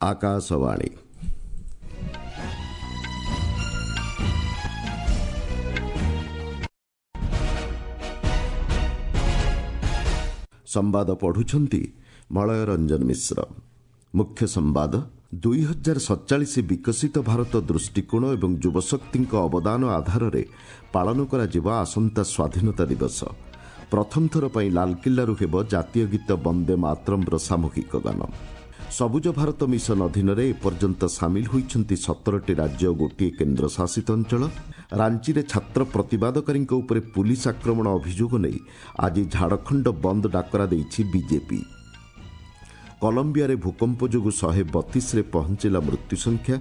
ଆକାଶବାଣୀ। ସମ୍ବାଦ ପଢୁଛନ୍ତି ମଳୟ ରଞ୍ଜନ ମିଶ୍ର। ମୁଖ୍ୟ ସମ୍ବାଦ। 2047 ବିକଶିତ ଭାରତ ଦୃଷ୍ଟିକୋଣ ଏବଂ ଯୁବଶକ୍ତିଙ୍କ ଅବଦାନ ଆଧାରରେ ପାଳନ କରାଯିବ ଆସନ୍ତା ସ୍ୱାଧୀନତା ଦିବସ। ପ୍ରଥମ ଥର ପାଇଁ ଲାଲକିଲ୍ଲାରୁ ହେବ ଜାତୀୟ ଗୀତ ବନ୍ଦେ ମାତରମ୍ର ସାମୂହିକ ଗାନ। ସବୁଜ ଭାରତ ମିଶନ ଅଧୀନରେ ଏପର୍ଯ୍ୟନ୍ତ ସାମିଲ ହୋଇଛନ୍ତି 17ଟି ରାଜ୍ୟ ଓ ଗୋଟିଏ କେନ୍ଦ୍ରଶାସିତ ଅଞ୍ଚଳ। ରାଞ୍ଚିରେ ଛାତ୍ର ପ୍ରତିବାଦକାରୀଙ୍କ ଉପରେ ପୁଲିସ ଆକ୍ରମଣ ଅଭିଯୋଗ ନେଇ ଆଜି ଝାଡ଼ଖଣ୍ଡ ବନ୍ଦ ଡାକରା ଦେଇଛି ବିଜେପି। କଲମ୍ବିଆରେ ଭୂକମ୍ପ ଯୋଗୁଁ 132ରେ ପହଞ୍ଚିଲା ମୃତ୍ୟୁ ସଂଖ୍ୟା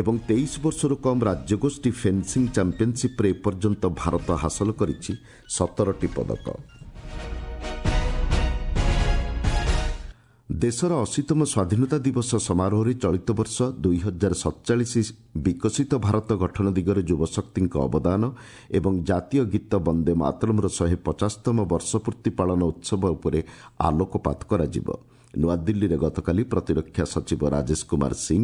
ଏବଂ 23 ବର୍ଷରୁ କମ୍ ରାଜ୍ୟଗୋଷ୍ଠୀ ଫେନ୍ସିଂ ଚାମ୍ପିୟନସିପ୍ରେ ଏପର୍ଯ୍ୟନ୍ତ ଭାରତ ହାସଲ କରିଛି 17ଟି ପଦକ। ଦେଶର 80ତମ ସ୍ୱାଧୀନତା ଦିବସ ସମାରୋହରେ ଚଳିତ ବର୍ଷ 2047 ବିକଶିତ ଭାରତ ଗଠନ ଦିଗରେ ଯୁବଶକ୍ତିଙ୍କ ଅବଦାନ ଏବଂ ଜାତୀୟ ଗୀତ ବନ୍ଦେ ମାତରମ୍ର 150ତମ ବର୍ଷପୂର୍ତ୍ତି ପାଳନ ଉତ୍ସବ ଉପରେ ଆଲୋକପାତ କରାଯିବ। ନୂଆଦିଲ୍ଲୀରେ ଗତକାଲି ପ୍ରତିରକ୍ଷା ସଚିବ ରାଜେଶ କୁମାର ସିଂ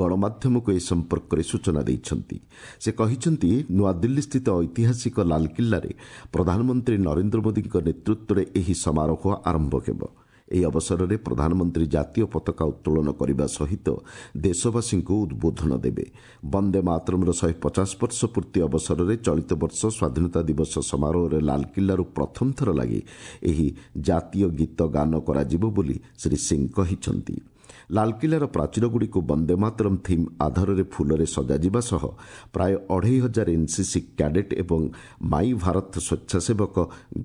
ଗଣମାଧ୍ୟମକୁ ଏ ସମ୍ପର୍କରେ ସୂଚନା ଦେଇଛନ୍ତି। ସେ କହିଛନ୍ତି, ନୂଆଦିଲ୍ଲୀସ୍ଥିତ ଐତିହାସିକ ଲାଲକିଲ୍ଲାରେ ପ୍ରଧାନମନ୍ତ୍ରୀ ନରେନ୍ଦ୍ର ମୋଦିଙ୍କ ନେତୃତ୍ୱରେ ଏହି ସମାରୋହ ଆରମ୍ଭ ହେବ। ଏହି ଅବସରରେ ପ୍ରଧାନମନ୍ତ୍ରୀ ଜାତୀୟ ପତାକା ଉତ୍ତୋଳନ କରିବା ସହିତ ଦେଶବାସୀଙ୍କୁ ଉଦ୍ବୋଧନ ଦେବେ। ବନ୍ଦେ ମାତରମ୍ର 150 ବର୍ଷ ପୂର୍ତ୍ତି ଅବସରରେ ଚଳିତ ବର୍ଷ ସ୍ୱାଧୀନତା ଦିବସ ସମାରୋହରେ ଲାଲକିଲ୍ଲାରୁ ପ୍ରଥମ ଥର ଲାଗି ଏହି ଜାତୀୟ ଗୀତ ଗାନ କରାଯିବ ବୋଲି ଶ୍ରୀ ସିଂ କହିଛନ୍ତି। ଲାଲକିଲ୍ଲାର ପ୍ରାଚୀରଗୁଡ଼ିକୁ ବନ୍ଦେ ମାତରମ୍ ଥିମ୍ ଆଧାରରେ ଫୁଲରେ ସଜାଯିବା ସହ ପ୍ରାୟ 2500 ଏନ୍ସିସି କ୍ୟାଡେଟ୍ ଏବଂ ମାଇ ଭାରତ ସ୍ୱେଚ୍ଛାସେବକ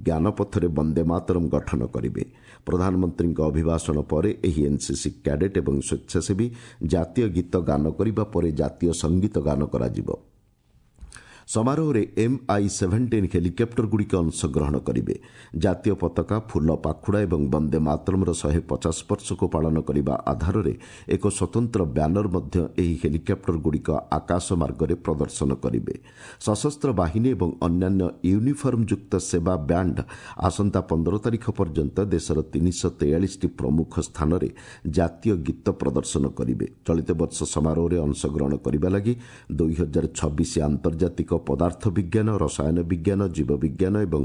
ଜ୍ଞାନପଥରେ ବନ୍ଦେ ମାତରମ୍ ଗଠନ କରିବେ। ପ୍ରଧାନମନ୍ତ୍ରୀଙ୍କ ଅଭିଭାଷଣ ପରେ ଏହି ଏନ୍ସିସି କ୍ୟାଡେଟ୍ ଏବଂ ସ୍ୱେଚ୍ଛାସେବୀ ଜାତୀୟ ଗୀତ ଗାନ କରିବା ପରେ ଜାତୀୟ ସଙ୍ଗୀତ ଗାନ କରାଯିବ। ସମାରୋହରେ MI-17 ହେଲିକପ୍ଟରଗୁଡ଼ିକ ଅଂଶଗ୍ରହଣ କରିବେ। ଜାତୀୟ ପତାକା, ଫୁଲ ପାଖୁଡ଼ା ଏବଂ ବନ୍ଦେ ମାତରମ୍ର 150 ବର୍ଷକୁ ପାଳନ କରିବା ଆଧାରରେ ଏକ ସ୍ୱତନ୍ତ୍ର ବ୍ୟାନର ମଧ୍ୟ ଏହି ହେଲିକପ୍ଟରଗୁଡ଼ିକ ଆକାଶ ମାର୍ଗରେ ପ୍ରଦର୍ଶନ କରିବେ। ସଶସ୍ତ୍ର ବାହିନୀ ଏବଂ ଅନ୍ୟାନ୍ୟ ୟୁନିଫର୍ମଯୁକ୍ତ ସେବା ବ୍ୟାଣ୍ଡ ଆସନ୍ତା 15 ତାରିଖ ପର୍ଯ୍ୟନ୍ତ ଦେଶର 343ଟି ପ୍ରମୁଖ ସ୍ଥାନରେ ଜାତୀୟ ଗୀତ ପ୍ରଦର୍ଶନ କରିବେ। ଚଳିତ ବର୍ଷ ସମାରୋହରେ ଅଂଶଗ୍ରହଣ କରିବା ଲାଗି 2026 ଆନ୍ତର୍ଜାତିକ ପଦାର୍ଥ ବିଜ୍ଞାନ, ରସାୟନ ବିଜ୍ଞାନ, ଜୀବବିଜ୍ଞାନ ଏବଂ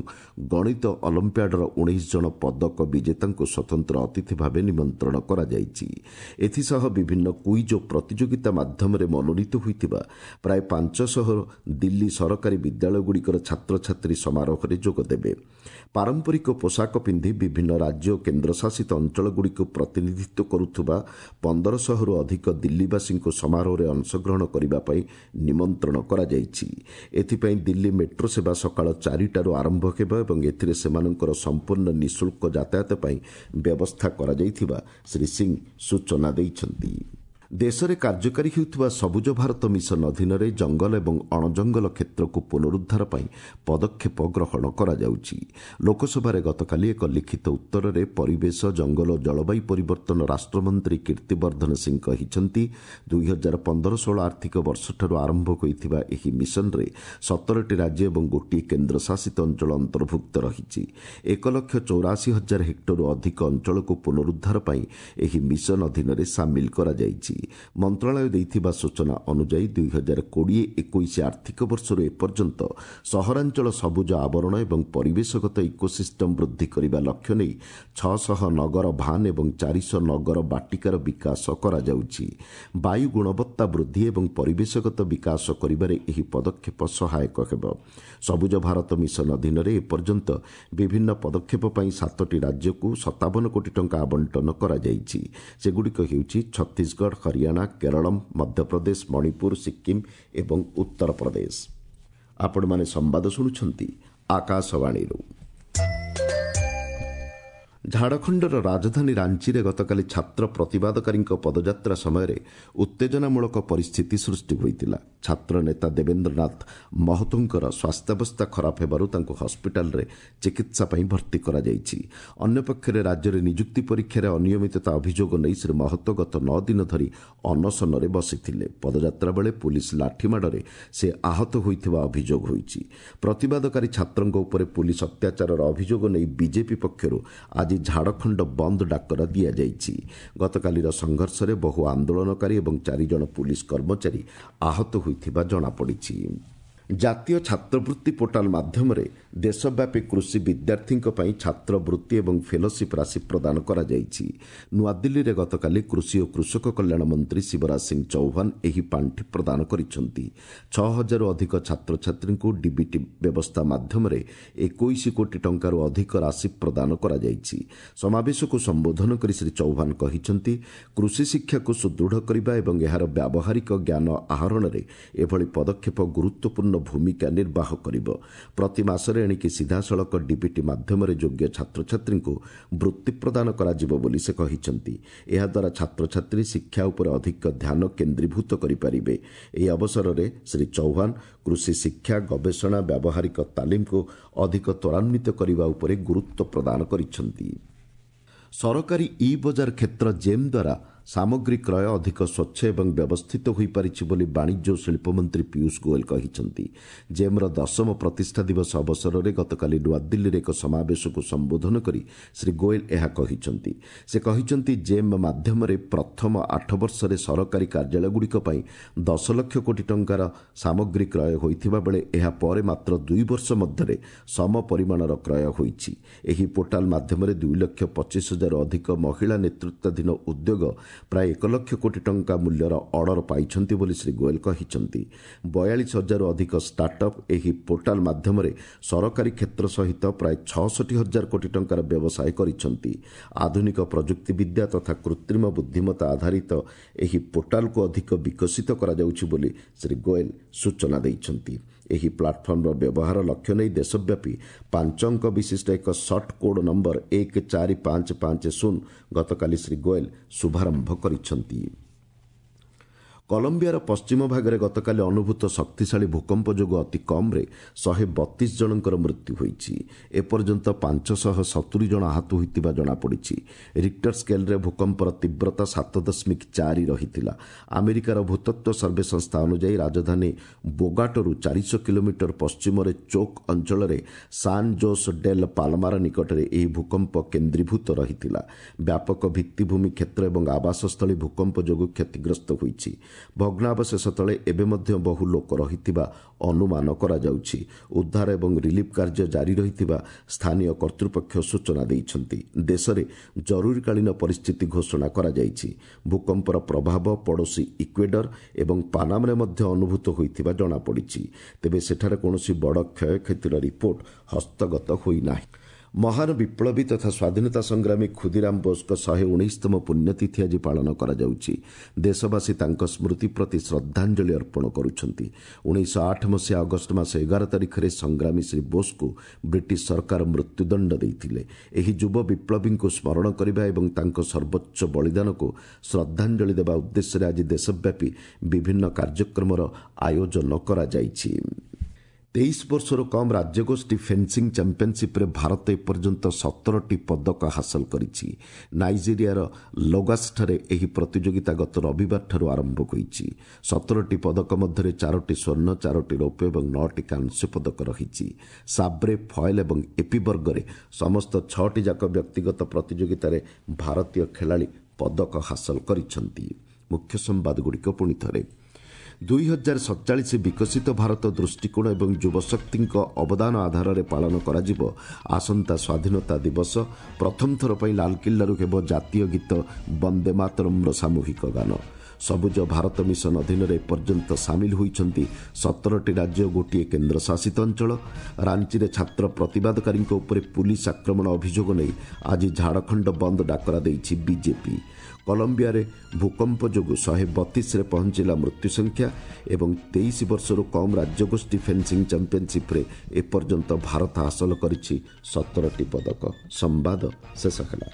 ଗଣିତ ଅଲିମ୍ପିଆଡର 19 ଜଣ ପଦକ ବିଜେତାଙ୍କୁ ସ୍ୱତନ୍ତ୍ର ଅତିଥି ଭାବେ ନିମନ୍ତ୍ରଣ କରାଯାଇଛି। ଏଥିସହ ବିଭିନ୍ନ କୁଇଜ୍ ଓ ପ୍ରତିଯୋଗିତା ମାଧ୍ୟମରେ ମନୋନୀତ ହୋଇଥିବା ପ୍ରାୟ 500 ଦିଲ୍ଲୀ ସରକାରୀ ବିଦ୍ୟାଳୟଗୁଡ଼ିକର ଛାତ୍ରଛାତ୍ରୀ ସମାରୋହରେ ଯୋଗଦେବେ। ପାରମ୍ପରିକ ପୋଷାକ ପିନ୍ଧି ବିଭିନ୍ନ ରାଜ୍ୟ ଓ କେନ୍ଦ୍ରଶାସିତ ଅଞ୍ଚଳଗୁଡ଼ିକୁ ପ୍ରତିନିଧିତ୍ୱ କରୁଥିବା 1500ରୁ ଅଧିକ ଦିଲ୍ଲୀବାସୀଙ୍କୁ ସମାରୋହରେ ଅଂଶଗ୍ରହଣ କରିବା ପାଇଁ ନିମନ୍ତ୍ରଣ କରାଯାଇଛି। ଏଥିପାଇଁ ଦିଲ୍ଲୀ ମେଟ୍ରୋ ସେବା ସକାଳ 4ଟାରୁ ଆରମ୍ଭ ହେବ ଏବଂ ଏଥିରେ ସେମାନଙ୍କର ସମ୍ପୂର୍ଣ୍ଣ ନିଃଶୁଳ୍କ ଯାତାୟାତ ପାଇଁ ବ୍ୟବସ୍ଥା କରାଯାଇଥିବା ଶ୍ରୀ ସିଂ ସୂଚନା ଦେଇଛନ୍ତି। ଦେଶରେ କାର୍ଯ୍ୟକାରୀ ହେଉଥିବା ସବୁଜ ଭାରତ ମିଶନ ଅଧୀନରେ ଜଙ୍ଗଲ ଏବଂ ଅଣଜଙ୍ଗଲ କ୍ଷେତ୍ରକୁ ପୁନରୁଦ୍ଧାର ପାଇଁ ପଦକ୍ଷେପ ଗ୍ରହଣ କରାଯାଉଛି। ଲୋକସଭାରେ ଗତକାଲି ଏକ ଲିଖିତ ଉତ୍ତରରେ ପରିବେଶ, ଜଙ୍ଗଲ ଓ ଜଳବାୟୁ ପରିବର୍ତ୍ତନ ରାଷ୍ଟ୍ରମନ୍ତ୍ରୀ କୀର୍ତ୍ତିବର୍ଦ୍ଧନ ସିଂ କହିଛନ୍ତି, 2015-16 ଆର୍ଥିକ ବର୍ଷଠାରୁ ଆରମ୍ଭ ହୋଇଥିବା ଏହି ମିଶନରେ 17ଟି ରାଜ୍ୟ ଏବଂ ଗୋଟିଏ କେନ୍ଦ୍ରଶାସିତ ଅଞ୍ଚଳ ଅନ୍ତର୍ଭୁକ୍ତ ରହିଛି। 1,84,000 ହେକ୍ଟରରୁ ଅଧିକ ଅଞ୍ଚଳକୁ ପୁନରୁଦ୍ଧାର ପାଇଁ ଏହି ମିଶନ ଅଧୀନରେ ସାମିଲ କରାଯାଇଛି। ମନ୍ତ୍ରଣାଳୟ ଦେଇଥିବା ସୂଚନା ଅନୁଯାୟୀ 2020-21 ଆର୍ଥିକ ବର୍ଷରୁ ଏପର୍ଯ୍ୟନ୍ତ ସହରାଞ୍ଚଳ ସବୁଜ ଆବରଣ ଏବଂ ପରିବେଶଗତ ଇକୋସିଷ୍ଟମ ବୃଦ୍ଧି କରିବା ଲକ୍ଷ୍ୟ ନେଇ 600 ନଗର ଭାନ୍ ଏବଂ 400 ନଗର ବାଟିକାର ବିକାଶ କରାଯାଉଛି। ବାୟୁ ଗୁଣବତ୍ତା ବୃଦ୍ଧି ଏବଂ ପରିବେଶଗତ ବିକାଶ କରିବାରେ ଏହି ପଦକ୍ଷେପ ସହାୟକ ହେବ। ସବୁଜ ଭାରତ ମିଶନ ଅଧୀନରେ ଏପର୍ଯ୍ୟନ୍ତ ବିଭିନ୍ନ ପଦକ୍ଷେପ ପାଇଁ 7ଟି ରାଜ୍ୟକୁ 57 କୋଟି ଟଙ୍କା ଆବଣ୍ଟନ କରାଯାଇଛି। ସେଗୁଡ଼ିକ ହେଉଛି ଛତିଶଗଡ଼, ହରିୟାଣା, କେରଳ, ମଧ୍ୟପ୍ରଦେଶ, ମଣିପୁର, ସିକ୍କିମ୍ ଏବଂ ଉତ୍ତରପ୍ରଦେଶ। ଆପଣମାନେ ସମ୍ବାଦ ଶୁଣୁଛନ୍ତି ଆକାଶବାଣୀରୁ। ଝାଡ଼ଖଣ୍ଡର ରାଜଧାନୀ ରାଞ୍ଚିରେ ଗତକାଲି ଛାତ୍ର ପ୍ରତିବାଦକାରୀଙ୍କ ପଦଯାତ୍ରା ସମୟରେ ଉତ୍ତେଜନାମୂଳକ ପରିସ୍ଥିତି ସୃଷ୍ଟି ହୋଇଥିଲା। ଛାତ୍ର ନେତା ଦେବେନ୍ଦ୍ରନାଥ ମହତୋଙ୍କର ସ୍ୱାସ୍ଥ୍ୟାବସ୍ଥା ଖରାପ ହେବାରୁ ତାଙ୍କୁ ହସ୍ପିଟାଲରେ ଚିକିତ୍ସା ପାଇଁ ଭର୍ତ୍ତି କରାଯାଇଛି। ଅନ୍ୟପକ୍ଷରେ ରାଜ୍ୟରେ ନିଯୁକ୍ତି ପରୀକ୍ଷାରେ ଅନିୟମିତତା ଅଭିଯୋଗ ନେଇ ଶ୍ରୀ ମହତୋ ଗତ 9 ଦିନ ଧରି ଅନଶନରେ ବସିଥିଲେ। ପଦଯାତ୍ରା ବେଳେ ପୁଲିସ ଲାଠିମାଡ଼ରେ ସେ ଆହତ ହୋଇଥିବା ଅଭିଯୋଗ ହୋଇଛି। ପ୍ରତିବାଦକାରୀ ଛାତ୍ରଙ୍କ ଉପରେ ପୁଲିସ ଅତ୍ୟାଚାରର ଅଭିଯୋଗ ନେଇ ବିଜେପି ପକ୍ଷରୁ ଆଜି ଆଜି ଝାଡ଼ଖଣ୍ଡ ବନ୍ଦ ଡାକରା ଦିଆଯାଇଛି। ଗତକାଲିର ସଂଘର୍ଷରେ ବହୁ ଆନ୍ଦୋଳନକାରୀ ଏବଂ 4 ଜଣ ପୁଲିସ କର୍ମଚାରୀ ଆହତ ହୋଇଥିବା ଜଣାପଡ଼ିଛି। ଜାତୀୟ ଛାତ୍ରବୃତ୍ତି ପୋର୍ଟାଲ ମାଧ୍ୟମରେ ଦେଶବ୍ୟାପୀ କୃଷି ବିଦ୍ୟାର୍ଥୀଙ୍କ ପାଇଁ ଛାତ୍ରବୃତ୍ତି ଏବଂ ଫେଲୋସିପ୍ ରାଶି ପ୍ରଦାନ କରାଯାଇଛି। ନୂଆଦିଲ୍ଲୀରେ ଗତକାଲି କୃଷି ଓ କୃଷକ କଲ୍ୟାଣ ମନ୍ତ୍ରୀ ଶିବରାଜ ସିଂ ଚୌହାନ ଏହି ପାଣ୍ଠି ପ୍ରଦାନ କରିଛନ୍ତି। 6000ରୁ ଅଧିକ ଛାତ୍ରଛାତ୍ରୀଙ୍କୁ ଡିବିଟି ବ୍ୟବସ୍ଥା ମାଧ୍ୟମରେ 21 କୋଟି ଟଙ୍କାରୁ ଅଧିକ ରାଶି ପ୍ରଦାନ କରାଯାଇଛି। ସମାବେଶକୁ ସମ୍ବୋଧନ କରି ଶ୍ରୀ ଚୌହାନ କହିଛନ୍ତି, କୃଷି ଶିକ୍ଷାକୁ ସୁଦୃଢ଼ କରିବା ଏବଂ ଏହାର ବ୍ୟାବହାରିକ ଜ୍ଞାନ ଆହରଣରେ ଏଭଳି ପଦକ୍ଷେପ ଗୁରୁତ୍ୱପୂର୍ଣ୍ଣ ଭୂମିକା ନିର୍ବାହ କରିବ। ପ୍ରତି ମାସରେ ଏଣିକି ସିଧାସଳଖ ଡିବିଟି ମାଧ୍ୟମରେ ଯୋଗ୍ୟ ଛାତ୍ରଛାତ୍ରୀଙ୍କୁ ବୃତ୍ତି ପ୍ରଦାନ କରାଯିବ ବୋଲି ସେ କହିଛନ୍ତି। ଏହାଦ୍ୱାରା ଛାତ୍ରଛାତ୍ରୀ ଶିକ୍ଷା ଉପରେ ଅଧିକ ଧ୍ୟାନ କେନ୍ଦ୍ରୀଭୂତ କରିପାରିବେ। ଏହି ଅବସରରେ ଶ୍ରୀ ଚୌହାନ କୃଷି ଶିକ୍ଷା, ଗବେଷଣା, ବ୍ୟାବହାରିକ ତାଲିମକୁ ଅଧିକ ତ୍ୱରାନ୍ୱିତ କରିବା ଉପରେ ଗୁରୁତ୍ୱ ପ୍ରଦାନ କରିଛନ୍ତି। ସରକାରୀ ଇ ବଜାର କ୍ଷେତ୍ର ଜେମ୍ ଦ୍ୱାରା ସାମଗ୍ରୀ କ୍ରୟ ଅଧିକ ସ୍ୱଚ୍ଛ ଏବଂ ବ୍ୟବସ୍ଥିତ ହୋଇପାରିଛି ବୋଲି ବାଣିଜ୍ୟ ଓ ଶିଳ୍ପମନ୍ତ୍ରୀ ପୀୟୁଷ ଗୋଏଲ କହିଛନ୍ତି। ଜେମ୍ର 10ମ ପ୍ରତିଷ୍ଠା ଦିବସ ଅବସରରେ ଗତକାଲି ନୂଆଦିଲ୍ଲୀରେ ଏକ ସମାବେଶକୁ ସମ୍ବୋଧନ କରି ଶ୍ରୀ ଗୋଏଲ ଏହା କହିଛନ୍ତି। ସେ କହିଛନ୍ତି, ଜେମ୍ ମାଧ୍ୟମରେ ପ୍ରଥମ 8 ବର୍ଷରେ ସରକାରୀ କାର୍ଯ୍ୟାଳୟଗୁଡ଼ିକ ପାଇଁ 10 ଲକ୍ଷ କୋଟି ଟଙ୍କାର ସାମଗ୍ରୀ କ୍ରୟ ହୋଇଥିବା ବେଳେ ଏହା ପରେ ମାତ୍ର 2 ବର୍ଷ ମଧ୍ୟରେ ସମ ପରିମାଣର କ୍ରୟ ହୋଇଛି। ଏହି ପୋର୍ଟାଲ ମାଧ୍ୟମରେ 2,25,000 ଅଧିକ ମହିଳା ନେତୃତ୍ୱାଧୀନ ଉଦ୍ୟୋଗ ପ୍ରାୟ 1 ଲକ୍ଷ କୋଟି ଟଙ୍କା ମୂଲ୍ୟର ଅର୍ଡର ପାଇଛନ୍ତି ବୋଲି ଶ୍ରୀ ଗୋଏଲ କହିଛନ୍ତି। 42,000ରୁ ଅଧିକ ଷ୍ଟାର୍ଟଅପ୍ ଏହି ପୋର୍ଟାଲ ମାଧ୍ୟମରେ ସରକାରୀ କ୍ଷେତ୍ର ସହିତ ପ୍ରାୟ 66,000 କୋଟି ଟଙ୍କାର ବ୍ୟବସାୟ କରିଛନ୍ତି। ଆଧୁନିକ ପ୍ରଯୁକ୍ତିବିଦ୍ୟା ତଥା କୃତ୍ରିମ ବୁଦ୍ଧିମତ୍ତା ଆଧାରିତ ଏହି ପୋର୍ଟାଲକୁ ଅଧିକ ବିକଶିତ କରାଯାଉଛି ବୋଲି ଶ୍ରୀ ଗୋଏଲ ସୂଚନା ଦେଇଛନ୍ତି। ଏହି ପ୍ଲାଟଫର୍ମର ବ୍ୟବହାର ଲକ୍ଷ୍ୟ ନେଇ ଦେଶବ୍ୟାପୀ 5 ଅଙ୍କ ବିଶିଷ୍ଟ ଏକ ସର୍ଟ କୋଡ୍ ନମ୍ବର 14550 ଗତକାଲି ଶ୍ରୀ ଗୋଏଲ ଶୁଭାରମ୍ଭ କରିଛନ୍ତି। କଲମ୍ବିଆର ପଶ୍ଚିମ ଭାଗରେ ଗତକାଲି ଅନୁଭୂତ ଶକ୍ତିଶାଳୀ ଭୂକମ୍ପ ଯୋଗୁଁ ଅତି କମ୍ରେ 132 ଜଣଙ୍କର ମୃତ୍ୟୁ ହୋଇଛି। ଏପର୍ଯ୍ୟନ୍ତ 570 ଜଣ ଆହତ ହୋଇଥିବା ଜଣାପଡ଼ିଛି। ରିକ୍ଟର ସ୍କେଲ୍ରେ ଭୂକମ୍ପର ତୀବ୍ରତା 7.4 ରହିଥିଲା। ଆମେରିକାର ଭୂତତ୍ତ୍ୱ ସର୍ଭେ ସଂସ୍ଥା ଅନୁଯାୟୀ ରାଜଧାନୀ ବୋଗାଟୋରୁ 400 କିଲୋମିଟର ପଶ୍ଚିମରେ ଚୋକ୍ ଅଞ୍ଚଳରେ ସାନ୍ ଜୋସ୍ ଡେଲ୍ ପାଲମାର ନିକଟରେ ଏହି ଭୂକମ୍ପ କେନ୍ଦ୍ରୀଭୂତ ରହିଥିଲା। ବ୍ୟାପକ ଭିତ୍ତିଭୂମି କ୍ଷେତ୍ର ଏବଂ ଆବାସସ୍ଥଳୀ ଭୂକମ୍ପ ଯୋଗୁଁ କ୍ଷତିଗ୍ରସ୍ତ ହୋଇଛି। ଭଗ୍ନାବଶେଷ ତଳେ ଏବେ ମଧ୍ୟ ବହୁ ଲୋକ ରହିଥିବା ଅନୁମାନ କରାଯାଉଛି। ଉଦ୍ଧାର ଏବଂ ରିଲିଫ୍ କାର୍ଯ୍ୟ ଜାରି ରହିଥିବା ସ୍ଥାନୀୟ କର୍ତ୍ତୃପକ୍ଷ ସୂଚନା ଦେଇଛନ୍ତି। ଦେଶରେ ଜରୁରୀକାଳୀନ ପରିସ୍ଥିତି ଘୋଷଣା କରାଯାଇଛି। ଭୂକମ୍ପର ପ୍ରଭାବ ପଡ଼ୋଶୀ ଇକ୍ୱେଡର ଏବଂ ପାନାମାରେ ମଧ୍ୟ ଅନୁଭୂତ ହୋଇଥିବା ଜଣାପଡ଼ିଛି। ତେବେ ସେଠାରେ କୌଣସି ବଡ଼ କ୍ଷୟକ୍ଷତିର ରିପୋର୍ଟ ହସ୍ତଗତ ହୋଇନାହିଁ। ମହାନ ବିପ୍ଳବୀ ତଥା ସ୍ୱାଧୀନତା ସଂଗ୍ରାମୀ ଖୁଦିରାମ ବୋଷଙ୍କ 119ତମ ପୁଣ୍ୟତିଥି ଆଜି ପାଳନ କରାଯାଉଛି। ଦେଶବାସୀ ତାଙ୍କ ସ୍ମୃତି ପ୍ରତି ଶ୍ରଦ୍ଧାଞ୍ଜଳି ଅର୍ପଣ କରୁଛନ୍ତି। 1908 ମସିହା ଅଗଷ୍ଟ ମାସ 11 ତାରିଖରେ ସଂଗ୍ରାମୀ ଶ୍ରୀ ବୋଷଙ୍କୁ ବ୍ରିଟିଶ ସରକାର ମୃତ୍ୟୁଦଣ୍ଡ ଦେଇଥିଲେ। ଏହି ଯୁବ ବିପ୍ଳବୀଙ୍କୁ ସ୍ମରଣ କରିବା ଏବଂ ତାଙ୍କ ସର୍ବୋଚ୍ଚ ବଳିଦାନକୁ ଶ୍ରଦ୍ଧାଞ୍ଜଳି ଦେବା ଉଦ୍ଦେଶ୍ୟରେ ଆଜି ଦେଶବ୍ୟାପୀ ବିଭିନ୍ନ କାର୍ଯ୍ୟକ୍ରମର ଆୟୋଜନ କରାଯାଇଛି। 23 ବର୍ଷରୁ କମ୍ ରାଜ୍ୟଗୋଷ୍ଠୀ ଫେନ୍ସିଂ ଚାମ୍ପିୟନସିପ୍ରେ ଭାରତ ଏପର୍ଯ୍ୟନ୍ତ 17ଟି ପଦକ ହାସଲ କରିଛି। ନାଇଜେରିଆର ଲୋଗାସଠାରେ ଏହି ପ୍ରତିଯୋଗିତା ଗତ ରବିବାରଠାରୁ ଆରମ୍ଭ ହୋଇଛି। 17ଟି ପଦକ ମଧ୍ୟରେ 4ଟି ସ୍ୱର୍ଣ୍ଣ, 4ଟି ରୌପ୍ୟ ଏବଂ 9ଟି କାଂସ୍ୟ ପଦକ ରହିଛି। ସାବ୍ରେ, ଫଏଲ୍ ଏବଂ ଏପି ବର୍ଗରେ ସମସ୍ତ 6ଟି ଯାକ ବ୍ୟକ୍ତିଗତ ପ୍ରତିଯୋଗିତାରେ ଭାରତୀୟ ଖେଳାଳି ପଦକ ହାସଲ କରିଛନ୍ତି। ମୁଖ୍ୟ ସମ୍ବାଦଗୁଡ଼ିକ ପୁଣି ଥରେ। 2047 ବିକଶିତ ଭାରତ ଦୃଷ୍ଟିକୋଣ ଏବଂ ଯୁବଶକ୍ତିଙ୍କ ଅବଦାନ ଆଧାରରେ ପାଳନ କରାଯିବ ଆସନ୍ତା ସ୍ୱାଧୀନତା ଦିବସ। ପ୍ରଥମ ଥର ପାଇଁ ଲାଲକିଲ୍ଲାରୁ ହେବ ଜାତୀୟ ଗୀତ ବନ୍ଦେ ମାତରମ୍ର ସାମୂହିକ ଗାନ। ସବୁଜ ଭାରତ ମିଶନ ଅଧୀନରେ ଏପର୍ଯ୍ୟନ୍ତ ସାମିଲ ହୋଇଛନ୍ତି 17ଟି ରାଜ୍ୟ, ଗୋଟିଏ କେନ୍ଦ୍ରଶାସିତ ଅଞ୍ଚଳ। ରାଞ୍ଚିରେ ଛାତ୍ର ପ୍ରତିବାଦକାରୀଙ୍କ ଉପରେ ପୁଲିସ ଆକ୍ରମଣ ଅଭିଯୋଗ ନେଇ ଆଜି ଝାଡ଼ଖଣ୍ଡ ବନ୍ଦ ଡାକରା ଦେଇଛି ବିଜେପି। କଲମ୍ବିଆରେ ଭୂକମ୍ପ ଯୋଗୁଁ 132ରେ ପହଞ୍ଚିଲା ମୃତ୍ୟୁ ସଂଖ୍ୟା ଏବଂ 23 ବର୍ଷରୁ କମ୍ ରାଜ୍ୟଗୋଷ୍ଠୀ ଫେନ୍ସିଂ ଚାମ୍ପିୟନସିପ୍ରେ ଏପର୍ଯ୍ୟନ୍ତ ଭାରତ ହାସଲ କରିଛି 17ଟି ପଦକ। ସମ୍ବାଦ ଶେଷ ହେଲା।